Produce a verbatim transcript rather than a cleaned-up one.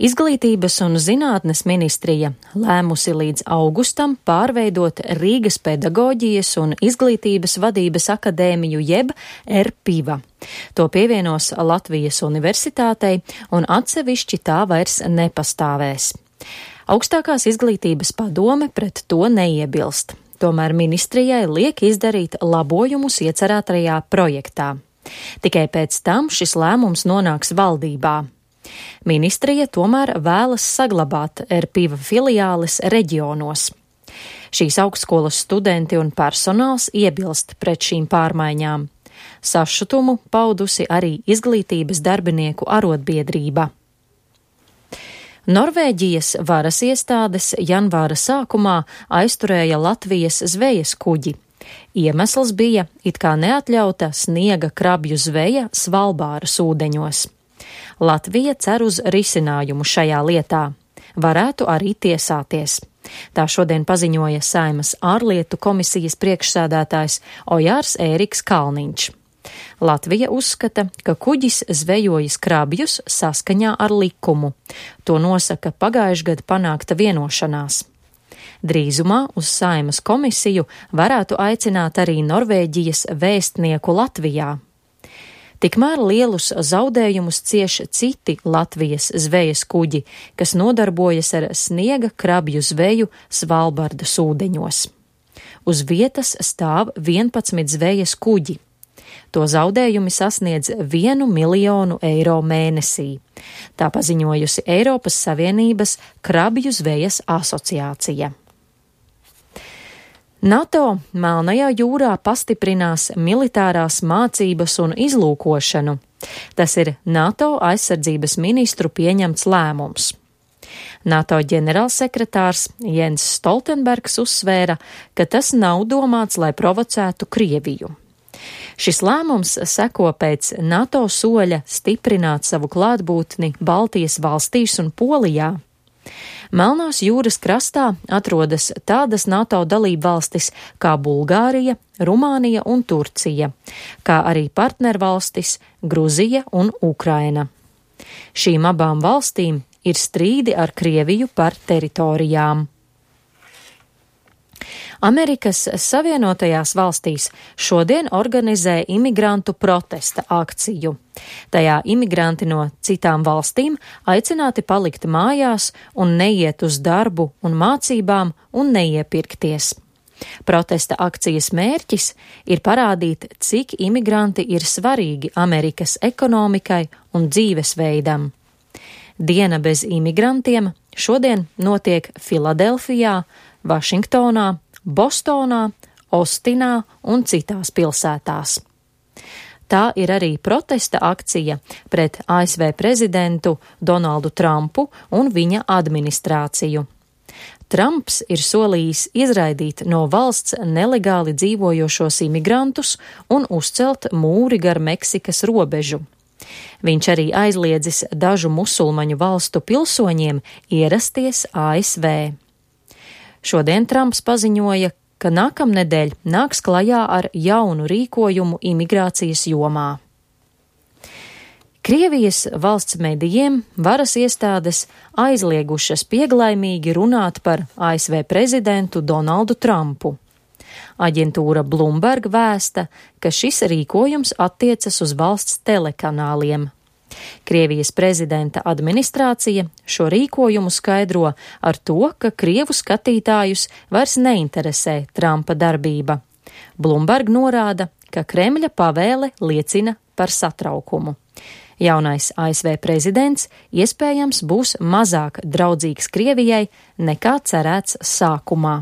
Izglītības un zinātnes ministrija lēmusi līdz augustam pārveidot Rīgas pedagoģijas un izglītības vadības akadēmiju jeb R P I V A. To pievienos Latvijas universitātei un atsevišķi tā vairs nepastāvēs. Augstākās izglītības padome pret to neiebilst, tomēr ministrijai liek izdarīt labojumus iecerētajā projektā. Tikai pēc tam šis lēmums nonāks valdībā. Ministrija tomēr vēlas saglabāt R P I V A filiāles reģionos. Šīs augstskolas studenti un personāls iebilst pret šīm pārmaiņām. Sašutumu paudusi arī izglītības darbinieku arotbiedrība. Norvēģijas varas iestādes janvāra sākumā aizturēja Latvijas zvejas kuģi. Iemesls bija it kā neatļauta sniega krabju zveja Svalbāras ūdeņos. Latvija cer uz risinājumu šajā lietā. Varētu arī tiesāties. Tā šodien paziņoja Saeimas ārlietu komisijas priekšsēdētājs Ojārs Ēriks Kalniņš. Latvija uzskata, ka kuģis zvejojis krabjus saskaņā ar likumu. To nosaka pagājušajā gadā panākta vienošanās. Drīzumā uz Saeimas komisiju varētu aicināt arī Norvēģijas vēstnieku Latvijā. Tikmēr lielus zaudējumus cieš citi Latvijas zvejas kuģi, kas nodarbojas ar sniega krabju zveju Svalbardas ūdeņos. Uz vietas stāv vienpadsmit zvejas kuģi. To zaudējumi sasniedz vienu miljonu eiro mēnesī. Tā paziņojusi Eiropas Savienības krabju zvejas asociācija. NATO Melnajā jūrā pastiprinās militārās mācības un izlūkošanu. Tas ir NATO aizsardzības ministru pieņemts lēmums. NATO ģenerālsekretārs Jens Stoltenbergs uzsvēra, ka tas nav domāts, lai provocētu Krieviju. Šis lēmums seko pēc NATO soļa stiprināt savu klātbūtni Baltijas valstīs un Polijā. Melnās jūras krastā atrodas tādas NATO dalību valstis kā Bulgārija, Rumānija un Turcija, kā arī partnervalstis Gruzija un Ukraina. Šīm abām valstīm ir strīdi ar Krieviju par teritorijām. Amerikas Savienotajās valstīs šodien organizē imigrantu protesta akciju. Tajā imigranti no citām valstīm aicināti palikt mājās un neiet uz darbu un mācībām un neiepirkties. Protesta akcijas mērķis ir parādīt, cik imigranti ir svarīgi Amerikas ekonomikai un dzīvesveidam. Diena bez imigrantiem šodien notiek Filadelfijā, Vašingtonā, Bostonā, Ostinā un citās pilsētās. Tā ir arī protesta akcija pret A S V prezidentu Donaldu Trumpu un viņa administrāciju. Trumps ir solījis izraidīt no valsts nelegāli dzīvojošos imigrantus un uzcelt mūri gar Meksikas robežu. Viņš arī aizliedzis dažu musulmaņu valstu pilsoņiem ierasties A S V. Šodien Trumps paziņoja, ka nākamnedēļ nāks klajā ar jaunu rīkojumu imigrācijas jomā. Krievijas valsts medijiem varas iestādes aizliegušas pieglaimīgi runāt par A S V prezidentu Donaldu Trumpu. Aģentūra Bloomberg vēsta, ka šis rīkojums attiecas uz valsts telekanāliem. Krievijas prezidenta administrācija šo rīkojumu skaidro ar to, ka krievu skatītājus vairs neinteresē Trumpa darbība. Bloomberg norāda, ka Kremļa pavēle liecina par satraukumu. Jaunais A S V prezidents iespējams būs mazāk draudzīgs Krievijai nekā cerēts sākumā.